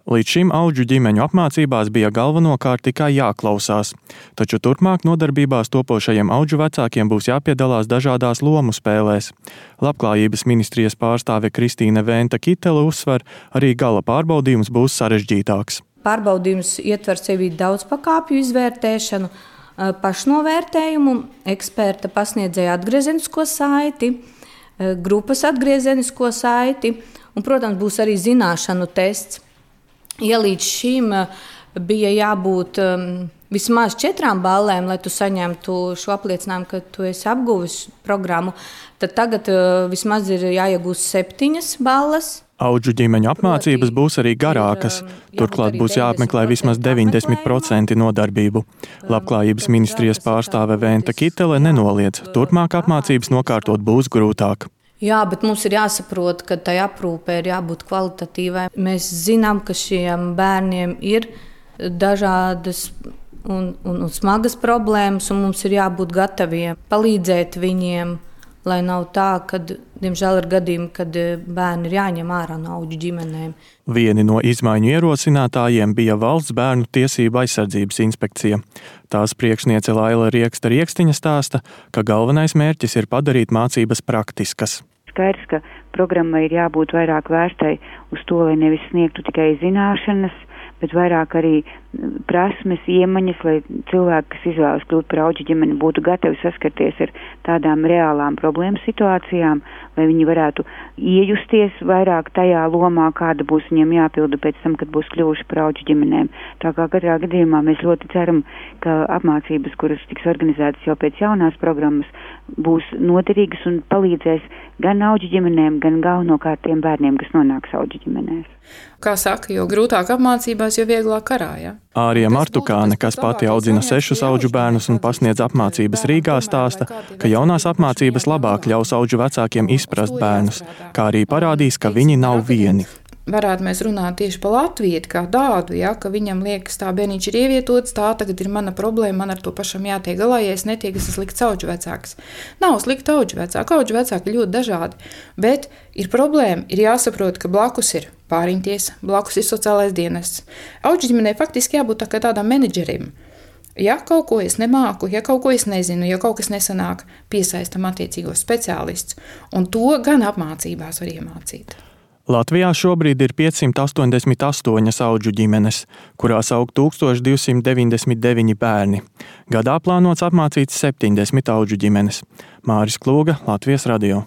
Līdz šim audžu ģimeņu apmācībās bija galvenokārt tikai jāklausās, taču turpmāk nodarbībās topošajiem audžu vecākiem būs jāpiedalās dažādās lomu spēlēs. Labklājības ministrijas pārstāve Kristīne Venta Kitele uzsver, arī gala pārbaudījums būs sarežģītāks. Pārbaudījums ietver sevi daudzpakāpju izvērtēšanu, pašnovērtējumu, eksperta pasniedzēja atgriezenisko saiti, grupas atgriezenisko saiti un, protams, būs arī zināšanu tests. Ja līdz šim bija jābūt vismaz 4 ballēm, lai tu saņemtu šo apliecinājumu, ka tu esi apguvis programmu, tad tagad vismaz ir jāiegūst 7 ballas. Audžu ģimeņu apmācības būs arī garākas, turklāt būs jāapmeklē vismaz 90% nodarbību. Labklājības ministrijas pārstāve Venta Kitele nenoliedz, turpmāk apmācības nokārtot būs grūtāk. Jā, bet mums ir jāsaprot, ka tai aprūpē ir jābūt kvalitatīvai. Mēs zinām, ka šiem bērniem ir dažādas un smagas problēmas, un mums ir jābūt gataviem palīdzēt viņiem, lai nav tā, ka, diemžēl, ir gadījumi, kad bērni ir jāņem ārā no audžu ģimenēm. Vieni no izmaiņu ierosinātājiem bija Valsts bērnu tiesību aizsardzības inspekcija. Tās priekšniece Laila Rieksta-Riekstiņa stāsta, ka galvenais mērķis ir padarīt mācības praktiskas. Skaidrs, ka programmai ir jābūt vairāk vērstai uz to, lai nevis sniegtu tikai zināšanas, bet vairāk arī prasmes, iemaņas, lai cilvēki, kas izvēlas kļūt par audžu ģimeni, būtu gatavi saskarties ar tādām reālām problēmu situācijām, lai viņi varētu iejusties vairāk tajā lomā, kāda būs viņiem jāpilda pēc tam, kad būs kļuvuši par audžu ģimenēm. Tā kā katrā gadījumā mēs ļoti ceram, ka apmācības, kuras tiks organizētas jau pēc jaunās programmas, būs noderīgas un palīdzēs gan audžu ģimenēm, gan galvenokārt tiem bērniem, kas nonāks audžu ģimenēs. Kā saka, jo grūtāk apmācībās, jo vieglāk karā, ja? Ārija Martukāne, kas pati audzina 6 audžu bērnus un pasniedz apmācības Rīgā, stāsta, ka jaunās apmācības labāk ļaus audžu vecākiem izprast bērnus, kā arī parādīs, ka viņi nav vieni. Varētu mēs runāt tieši par latvieti kā tādu, ja, ka viņam liekas, tā bērniņš ir ievietots, tā tagad ir mana problēma, man ar to pašam jātiek galā, ja es netiek, es esmu slikts audžu vecāks. Nav slikti audžu vecāki ļoti dažādi, bet ir problēma, ir jāsaprot, ka blakus ir pāriņtiesa, blakus ir sociālais dienests. Audžu ģimenei faktiski jābūt tā kā tādām menedžerim. Ja kaut ko es nemāku, ja kaut ko es nezinu, ja kaut kas nesanāk, piesaistam attiecīgos speciālistus, un to gan apmācībās var iemācīt. Latvijā šobrīd ir 588 audžu ģimenes, kurās aug 1299 bērni. Gadā plānots apmācīt 70 audžu ģimenes. Māris Klūga, Latvijas radio.